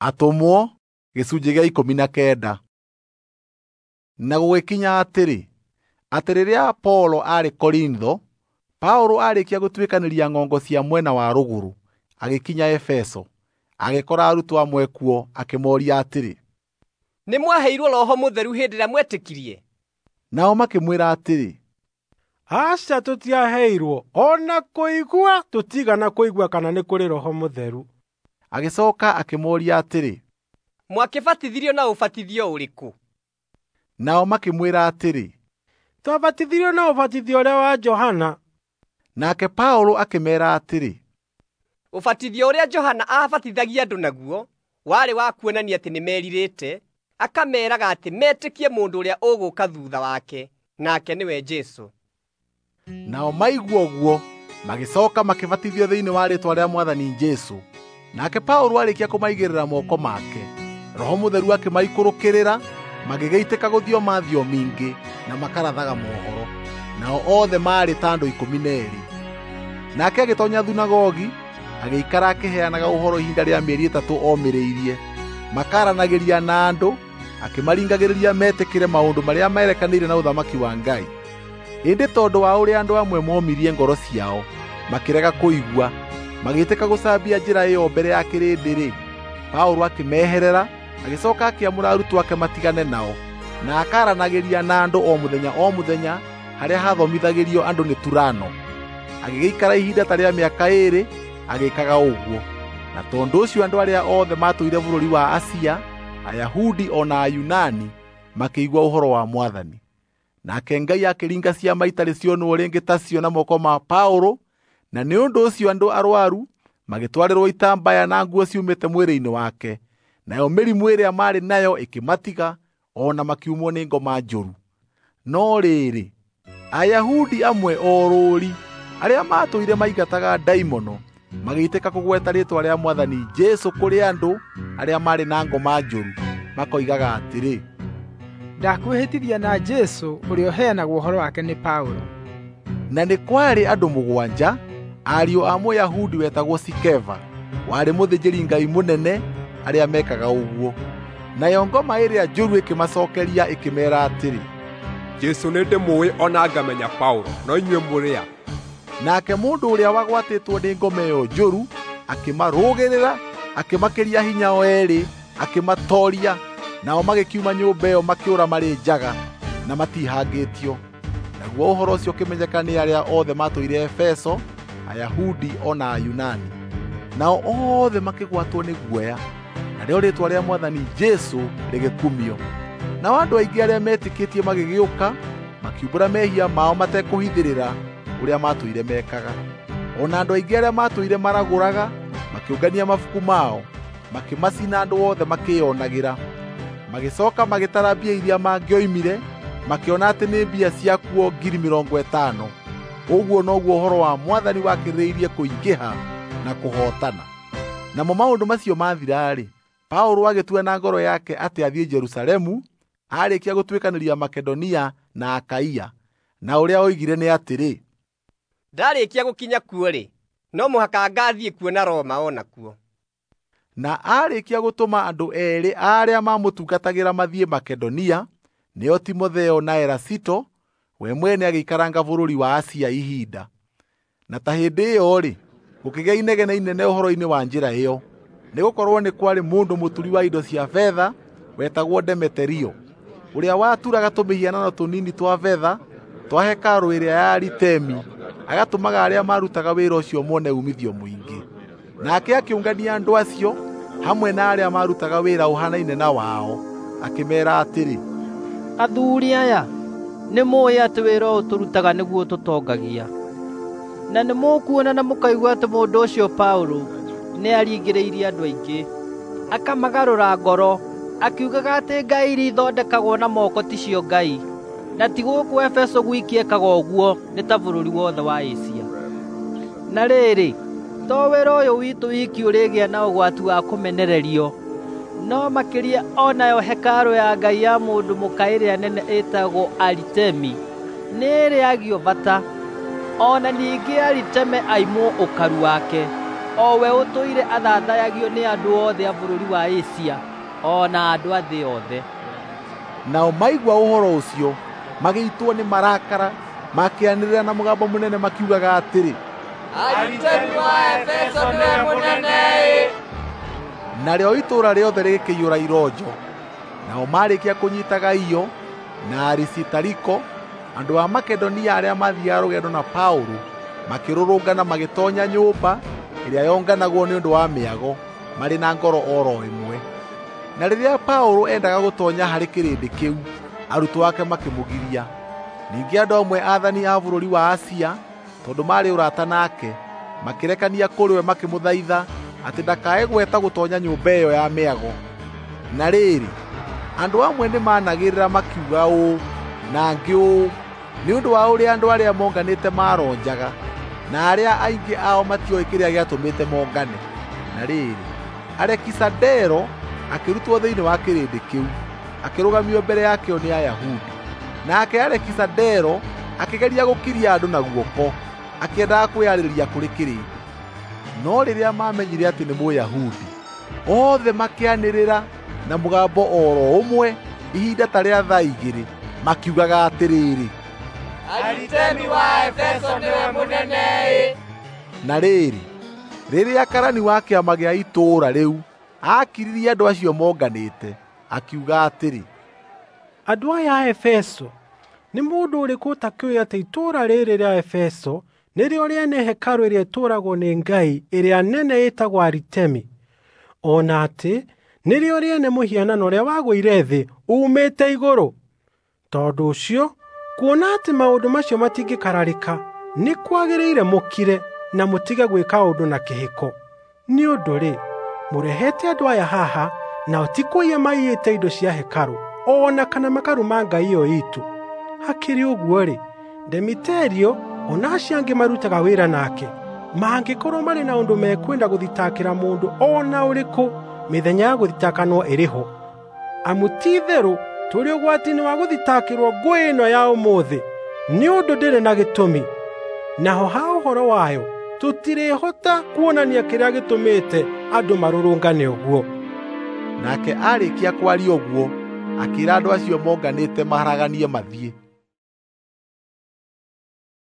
Atũmwo gĩcunjĩ gĩa 19. Na gũgĩkinya atĩrĩ, atĩ rĩrĩa Apolo aarĩ Korintho, Paũlũ aarĩkia gũtuĩkanĩria ng'ongo cia mwena wa rũgũrũ, agĩkinya Efeso. Agĩkora arutwo amwe kuo, akĩmooria atĩrĩ, "Nĩ mwaheirwo Roho Mũtheru hĩndĩ ĩrĩa mwetĩkirie?" Nao makĩmwĩra atĩrĩ, "Aca, tũtiaheirwo o na kũigua tũtiigana kũigua kana nĩ kũrĩ Roho Mũtheru." Agĩcooka akĩmooria atĩrĩ, "Mwakĩbatithirio na ũbatithio ũrĩkũ?" Nao makĩmwĩra atĩrĩ, "Twabatithirio na ũbatithio ũrĩa wa Johana." Nake Paũlũ akĩmeera atĩrĩ, "Ũbatithio ũrĩa Johana aabatithagia andũ naguo warĩ wa kuonania atĩ nĩmerirĩte, akameeraga atĩ metĩkie mũndũ ũrĩa ũgũũka thuutha wake, nake nĩwe Jesũ." Nao maigua ũguo, magĩcooka makĩbatithio thĩinĩ wa rĩĩtwa rĩa Mwathani Jesũ. Nake Paũlũ aarĩkia kũmaigĩrĩra moko make, Roho Mũtheru akĩmaikũrũkĩrĩra, magĩgĩitĩka gũthioma thiomi ingĩ na makarathaga mohoro. Nao othe maarĩ ta andũ 12. Nake agĩtoonya thunagogi, agĩikara akĩheanaga ũhoro ihinda rĩa mĩeri 3 omĩrĩirie, makaranagĩria na andũ, akĩmaringagĩrĩria metĩkĩre maũndũ marĩa merekanĩire na ũthamaki wa Ngai. Ĩndĩ tondũ wa ũrĩa andũ amwe momirie ngoro ciao, makĩrega kũigua, magĩtĩka gũcambia njĩra ĩyo mbere ya kĩrĩndĩ-rĩ, Paũlũ akĩmeherera, agĩcooka akĩamũra arutwo ake matigane nao, na akaranagĩria na andũ o mũthenya o mũthenya harĩa hathomithagĩrio andũ nĩ Turano. Agĩgĩikara ihinda ta rĩa mĩaka 2 agĩĩkaga ũguo. Na tondũ ũcio andũ arĩa othe maatũire bũrũri wa Asia, Ayahudi o na Ayunani, makĩigua ũhoro wa Mwathani. Nake Ngai akĩringa ciama itarĩ cionwo rĩngĩ tacio na moko ma Paũlũ, na nĩ ũndũ ũcio andũ arwaru magĩtwarĩrwo itambaya na nguo ciumĩte mwĩrĩ-inĩ wake, nayo mĩrimũ ĩrĩa maarĩ nayo ĩkĩmatiga, o na makiumwo nĩ ngoma njũru. No rĩrĩ, Ayahudi amwe orũũri arĩa maatũire maingataga ndaimono magĩitĩka kũgweta rĩĩtwa rĩa Mwathani Jesũ kũrĩ andũ arĩa maarĩ na ngoma njũru, makoigaga atĩrĩ, "Ndakwĩhĩtithia na Jesũ ũrĩa ũheanagwo ũhoro wake nĩ Paũlũ." Na nĩ kwarĩ andũ 7 ariũ a Mũyahudi wetagwo Sikeva, warĩ mũthĩnjĩri-Ngai mũnene, arĩa mekaga ũguo. Nayo ngoma ĩrĩa njũru ĩkĩmacookeria ĩkĩmeera atĩrĩ, "Jesũ nĩndĩmũũĩ o na ngamenya Paũlũ, no inyuĩ mũrĩ a?" Nake mũndũ ũrĩa wagwatĩtwo nĩ ngoma ĩyo njũru akĩmarũgĩrĩra, akĩmakĩria hinya o eerĩ, akĩmatooria, nao magĩkiuma nyũmba ĩyo makĩũra marĩ njaga na matihangĩtio. Naguo ũhoro ũcio ũkĩmenyeka nĩ arĩa othe maatũire Efeso, Ayahudi o na Ayunani. Nao othe makĩgwatwo nĩ guoya, narĩo rĩĩtwa rĩa Mwathani Jesũ rĩgĩkumio. Nao andũ aingĩ arĩa metĩkĩtie magĩgĩũka, makiumbũra mehia mao matekũhithĩrĩra ũrĩa maatũire mekaga. O na andũ aingĩ arĩa maatũire maragũraga makĩũngania mabuku mao, makĩmacina andũ othe makĩĩonagĩra. Magĩcooka magĩtara mbia iria mangĩoimire, makĩona atĩ nĩ mbia ciakuo 50,000. Ũguo noguo ũhoro wa Mwathani wakĩrĩrĩirie kũingĩha na kũhootana. Namo maũndũ macio mathira-rĩ, Paũlũ agĩtua na ngoro yake atĩ athiĩ Jerusalemu, aarĩkia gũtuĩkanĩria Makedonia na Akaia. Na ũrĩa oigire nĩ atĩrĩ, "Ndarĩkia gũkinya kuo-rĩ, no mũhaka ngathiĩ kuona Roma o nakuo." Na aarĩkia gũtũma andũ 2 arĩa maamũtungatagĩra mathiĩ Makedonia, nĩo Timotheo na Erasito, we mwene agĩikaranga bũrũri wa Asia ihinda. Na ta hĩndĩ ĩyo-rĩ, gũkĩgĩa inegene inene ũhoro-inĩ wa njĩra ĩyo, nĩgũkorwo nĩ kwarĩ mũndũ mũturi wa indo cia betha wetagwo Demeterio, ũrĩa waturaga tũmĩhianano tũnini twa betha twa hekarũ ĩrĩa ya Aritemi, agatũmaga arĩa maarutaga wĩra ũcio mone uumithio mũingĩ. Nake akĩũngania andũ acio hamwe na arĩa maarutaga wĩra ũhaanaine na wao, akĩmeera atĩrĩ, "Athuuri aya, nĩmũũĩ atĩ wĩra ũyũ tũrutaga nĩguo tũtongagia. Na nĩmũkuona na mũkaigua atĩ mũndũ ũcio Paũlũ nĩaringĩrĩirie andũ aingĩ, akamagarũra ngoro, akiugaga atĩ ngai iria ithondekagwo na moko ticio ngai. Na ti gũkũ Efeso gwiki ekaga ũguo, nĩ ta bũrũri wothe wa Asia. Na rĩrĩ, to wĩra ũyũ witũ wiki ũrĩgĩa na ũgwati wa kũmenererio, no makĩria o nayo hekarũ ya ngai ya mũndũ mũka ĩrĩa nene ĩtagwo Aritemi nĩĩrĩagio bata, o na ningĩ Aritemi aimwo ũkaru wake." O we ũtũire athathayagio nĩ andũ othe a bũrũri wa Asia o na andũ a thĩ yothe. Nao maigua ũhoro ũcio magĩitwo nĩ marakara, makĩanĩrĩra na mũgambo mũnene makiugaga atĩrĩ, Aritemi wa Efeso nĩwe mũnene! Narĩo itũũra rĩothe rĩgĩkĩiyũra ironjo. Nao marĩkia kũnyiita Gaio na Arisitariko, andũ a Makedonia arĩa maathiaga rũgendo na Paũlũ, makĩrũrũngana magĩtoonya nyũmba ĩrĩa yonganagwo nĩ ũndũ wa mĩago, marĩ na ngoro oro ĩmwe. Na rĩrĩa Paũlũ endaga gũtoonya harĩ kĩrĩndĩ kĩu, arutwo ake makĩmũgiria. Ningĩ andũ amwe aathani a bũrũri wa Asia, tondũ maarĩ ũrata nake, makĩrekania kũrĩ we makĩmũthaitha atĩ ndakae gweta gũtoonya nyũmba ĩyo ya mĩago. Na rĩrĩ, andũ amwe nĩmanagĩrĩra makiuga ũũ na angĩ ũũ, nĩ ũndũ wa ũrĩa andũ arĩa monganĩte maronjaga, na arĩa aingĩ ao matioĩ kĩrĩa gĩatũmĩte mongane. Na rĩrĩ, Alekisandero akĩrutwo thĩinĩ wa kĩrĩndĩ kĩu, akĩrũgamio mbere yakĩo nĩ Ayahudi. Nake Alekisandero akĩgeria gũkiria andũ na guoko, akĩendaga kwĩyarĩrĩria kũrĩ kĩrĩndĩ. No rĩrĩa maamenyire atĩ nĩ Mũyahudi, othe makĩanĩrĩra na mũgambo oro ũmwe ihinda ta rĩa thaa 2, makiugaga atĩrĩrĩ, Aritemi wa Efeso nĩwe mũnene! Na rĩrĩ, rĩrĩa karani wa kĩama gĩa itũũra rĩu akiririe andũ acio monganĩte, akiuga atĩrĩ, Andũ aya a Efeso, nĩ mũndũ ũrĩkũ ũtakĩũĩ atĩ itũũra rĩrĩ rĩa Efeso nĩrĩo rĩene hekarũ ĩrĩa ĩtũũragwo nĩ ngai ĩrĩa nene ĩtagwo Aritemi, o na atĩ nĩrĩo rĩene mũhianano ũrĩa wagũire thĩ uumĩte igũrũ? Tondũ ũcio, kuona atĩ maũndũ macio matingĩkararĩka, nĩ kwagĩrĩire mũkire na mũtige gwĩka ũndũ na kĩhĩko. Nĩ ũndũ-rĩ, mũrehete andũ aya haha, nao ti kũiya maiyĩte indo cia hekarũ, o na kana makaruma ngai ĩyo iitũ. Hakĩrĩ ũguo-rĩ, Demeterio o na acio angĩ marutaga wĩra nake, mangĩkorwo marĩ na ũndũ mekwenda gũthitakĩra mũndũ o na ũrĩkũ, mĩthenya ya gũthitakanwo ĩrĩ ho. Amu ti-itherũ tũrĩ ũgwati-inĩ wa gũthitakĩrwo ngũĩ ĩno ya ũmũthĩ, nĩ ũndũ ndĩrĩ na gĩtũmi. Naho ha ũhoro wayo, tũtirĩhota kuonania kĩrĩa gĩtũmĩte andũ marũrũngane ũguo. Nake aarĩkia kwaria ũguo, akĩĩra andũ acio monganĩte maharaganie mathiĩ.